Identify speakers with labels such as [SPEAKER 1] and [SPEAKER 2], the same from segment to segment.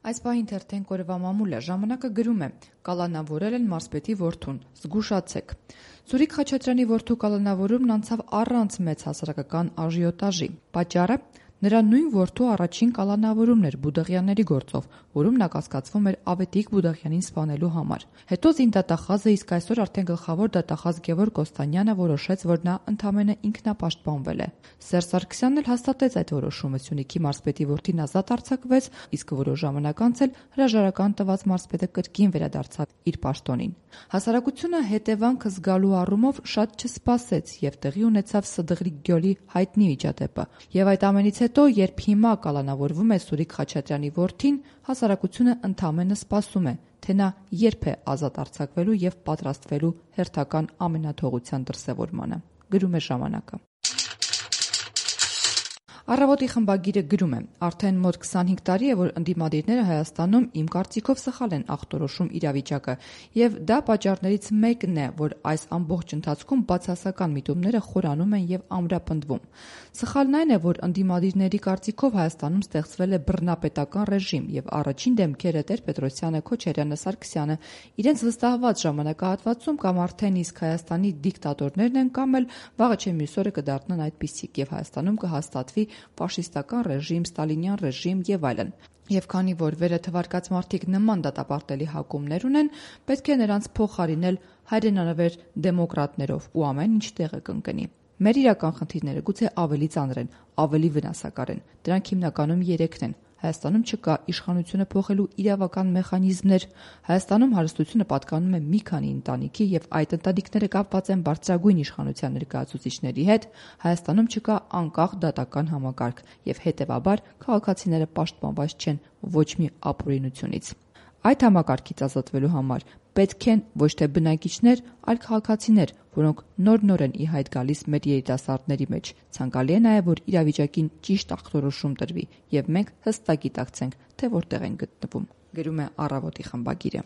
[SPEAKER 1] Այս պահին թերթեն կորվա մամուլ է, ժամանակը գրում է. կալանավորել են մարզպետի որդուն, զգուշացեք։ Սուրիկ Խաչատրյանի որդու կալանավորումն անցավ առանց մեծ հասարակական աժիոտաժի։ Պատճառը նրա նույն որդու առաջին կալանավորումն էր Բուդաղյանների գործով, որում նա կասկածվում էր Ավետիք Բուդաղյանին սպանելու համար։ Հետո զինդատախազը, իսկ այսօր արդեն գլխավոր դատախազ Գևորգ Կոստանյանը որոշեց, որ նա ընդամենը ինքնապաշտպանվել է։ Սերժ Սարգսյանն էլ հաստատեց այդ որոշումը, Սյունիքի մարզպետի որդին ազատ արձակվեց, իսկ որոշ ժամանակ անց էլ հրաժարական տված մարզպետը կրկին վերադարձավ իր պաշտոնին։ Հասարակությունը հետևանքը զգալու առումով շատ չսպասեց եւ տեղի ունեցավ Սդղրի գյոլի հայտնի միջադեպը։ Եվ այդ ամենից հետո, երբ հիմա կալանավորվում է Սուրիկ Խաչատրյանի որդին, հասարակությունը ընդամենը սպասում է, թե նա երբ է ազատ արձակվելու եւ պատրաստվելու հերթական ամենաթողության դրսեւորմանը։ Գրում է ժամանակը։ Առավոտի խմբագիրը գրում է. արդեն մոտ 25 տարի է, որ ընդդիմադիրները Հայաստանում իմ կարծիքով սխալ են ախտորոշում իրավիճակը, եւ դա պատճառներից մեկն է, որ այս ամբողջ ընթացքում բացասական միտումները խորանում են եւ ամրապնդվում։ Սխալն այն է, որ ընդդիմադիրների կարծիքով Հայաստանում ստեղծվել է բռնապետական ռեժիմ եւ առաջին դեմքերը Տեր-Պետրոսյանը, Քոչարյանը, Սարգսյանը իրենց վստահված ժամանակահատվածում կամ արդեն իսկ Հայաստանի դիկտատորներն են կամ էլ վաղը չէ մյուս օրը կդառնան այդպիսիք եւ Հայաստանում կհաստատվի ֆաշիստական ռեժիմ, ստալինյան ռեժիմ եւ այլն։ Եվ քանի որ վերը թվարկած մարդիկ նման դատապարտելի հակումներ ունեն, պետք է նրանց փոխարինել հայրենանվեր դեմոկրատներով ու ամեն ինչ տեղը կընկնի։ Մեր իրական խնդիրները գուցե ավելի ծանր են, ավելի վնասակար են։ Դրանք հիմնականում 3-ն են։ Հայաստանում չկա իշխանությունը փոխելու իրավական մեխանիզմներ։ Հայաստանում հարստությունը պատկանում է մի քանի ընտանիքի եւ այդ ընտանիքները կապված են բարձրագույն իշխանության ներկայացուցիչների հետ։ Հայաստանում չկա անկախ դատական համակարգ եւ հետեւաբար քաղաքացիները պաշտպանված չեն ոչ մի ապօրինությունից։ Այդ համակարգից ազատվելու համար պետք են ոչ թե բնակիչներ, այլ քաղաքացիներ, որոնք նոր-նոր են ի հայտ գալիս մեր երիտասարդների մեջ։ Ցանկալի է նաև, որ իրավիճակին ճիշտ ախտորոշում տրվի եւ մենք հստակ գիտակցենք, թե որտեղ են գտնվում։ Գրում է Առավոտի խմբագիրը։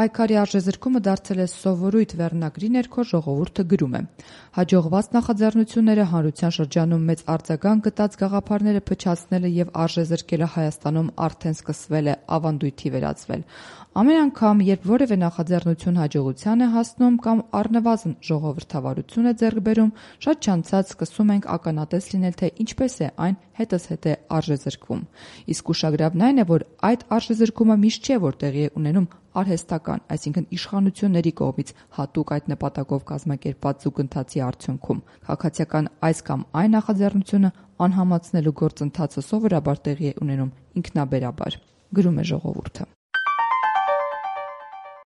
[SPEAKER 1] Պայքարի արժեզրկումը դարձել է սովորույթ վերնագրի ներքո ժողովուրդը գրում է. հաջողված նախաձեռնությունները հանրության շրջանում մեծ արձագանք գտած գաղափարները փչացնելը եւ արժեզրկելը Հայաստանում արդեն սկսվել է ավանդույթի վերածվել։ Ամեն անգամ, երբ որևէ նախաձեռնություն հաջողության է հասնում կամ առնվազն ժողովրդավարություն է ձեռք բերում, շատ չանցած սկսում ենք ականատես լինել, թե ինչպես է այն հետզհետե արժեզրկվում։ Իսկ ուշագրավն այն է, որ այդ արժեզրկումը միշտ չէ, որ տեղի է ունենում արհեստական, այսինքն իշխանությունների կողմից հատուկ այդ նպատակով կազմակերպված զուգընթացի արդյունքում։ Քաղաքացիական այս կամ այն նախաձեռնությունը անհամացնելու գործընթացը սովորաբար տեղի է ունենում ինքնաբերաբար։ Գրում է ժողովուրդը։